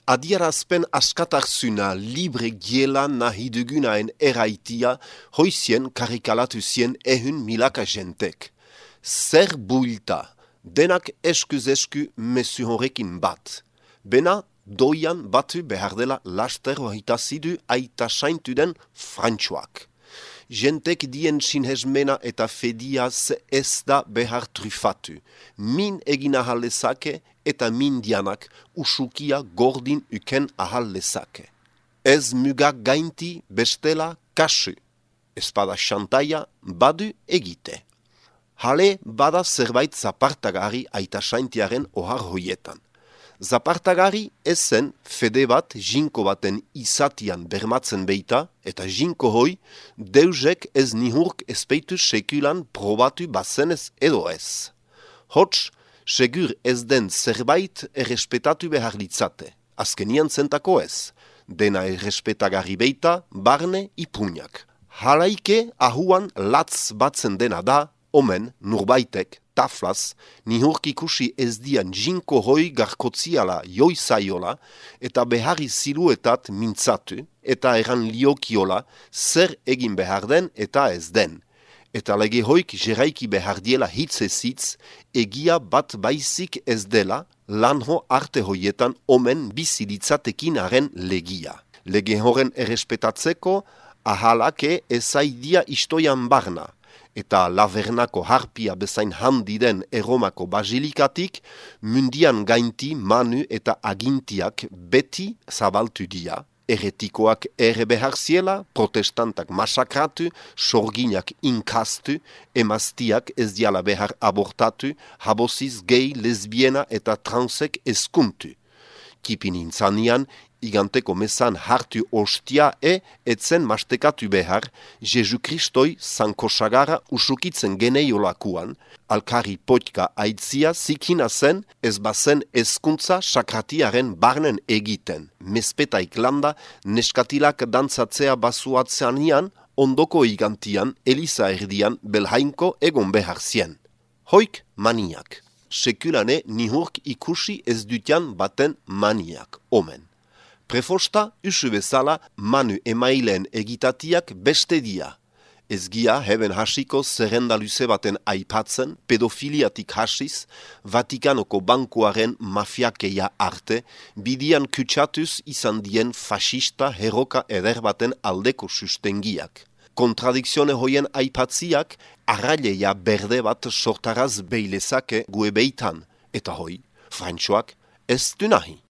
Adierazpen askatarzuna libre giela nahi dugunaen eraitia hoizien karikalatu zien ehun milaka jentek. Zer builta, denak eskuz-esku mesu horrekin bat. Bena doian batu behar dela laster hoitazidu aita saintu den frantxoak. Jentek dien sinhezmena eta fediaz ez da behar trufatu. Min egin ahal lezake eta min dianak usukia gordin uken ahal lezake. Ez mugak gainti bestela kasu. Espada xantaia badu egite. Hale bada zerbait zapartagari aita saintiaren ohar hoietan. Zapartagari ezen fede bat jinko baten izatian bermatzen beita eta jinko hoi deusek ez nihurk ezpeitu sekulan probatu bazenez edo ez. Hots, segur ez den zerbait errespetatu behar litzate. Azkenian zentako ez. Dena errespetagarri beita barne ipuñak. Halaike ahuan latz batzen dena da, omen nurbaitek, taflaz, nihurk ikusi ez dian jinko hoi garkotziala joizaiola eta beharri ziluetat mintzatu eta eran liokiola zer egin behar den eta ez den. Eta lege hoik jeraiki behar diela hitzezitz egia bat baizik ez dela lanho arte hoietan omen bizilitzatekin haren legia. Lege horren errespetatzeko ahalake ezaidia istoian barna. Eta Lavernako harpia bezain handi den Erromako basilikatik, mundian gainti manu eta agintiak beti zabaltu dia, eretikoak ere behar ziela, protestantak masakratu, sorginak inkastu, emaztiak ez diala behar abortatu, habosiz gay, lesbiena eta transek eskuntu. Kipin intzanian, iganteko mesan hartu ostia etzen mastekatu behar, Jesu Kristoi zankosagara usukitzen geneiolakuan, alkari potka aitzia zikina zen ez bazen ezkuntza sakratiaren barnen egiten. Mespetaik landa neskatilak dantzatzea basuatzeanian, ondoko igantian, Eliza erdian belhainko egon behar zien. Hoik maniak. Sekulane nihurk ikusi ez dutian baten maniak, omen. Prefosta usu bezala manu emaileen egitatiak beste dia. Ez gia heben hasiko zerrenda luze baten aipatzen, pedofiliatik hasiz, Vatikanoko bankuaren mafiakeia arte, bidian kutsatuz izan dien fasista heroka eder baten aldeko sustengiak. Kontradikzione hoien aipatziak, arraileia berde bat sortaraz beilezake gue beitan, eta hoi, frantxoak ez du nahi.